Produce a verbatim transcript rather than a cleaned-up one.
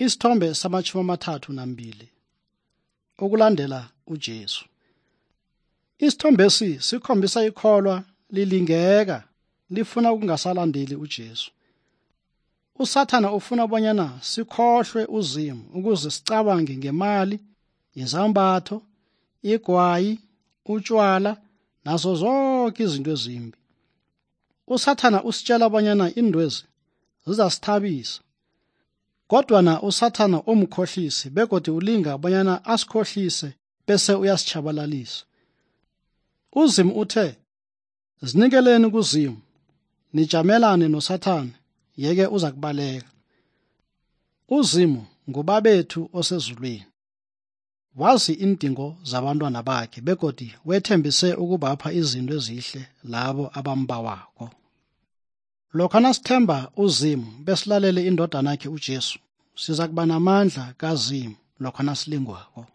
Isithombe samachumi amathathu nambili. Ukulandela uJesu. Isithombesi sikhombisa ikholwa lilingeka lifuna ukungasalandeli uJesu. USathana ufuna bonyana sikhohlwe uzimu ukuze sicabange ngemali, izambatho, igwayi, utshwala nazo zonke izinto ezimbi. USathana usitshela bonyana indwezi zizasithabisa. Kodwa na uSathana umkhohlisi begodi ulinga bonyana asikhohlise bese uyasitshabalalisa. Uzimu uthe, "Zinikeleni kuzimu, nijamelane noSathana, yeke uza kubaleka." Uzimu ngubabethu osezulwini. Wazi indingo zabantwana bakhe begodi wethembise ukubapha izinto ezihle labo abambawako. Lokho nasithemba uzimu besilalele indodana yakhe uJesu, siza kuba namandla kazimu lokho nasilingwako.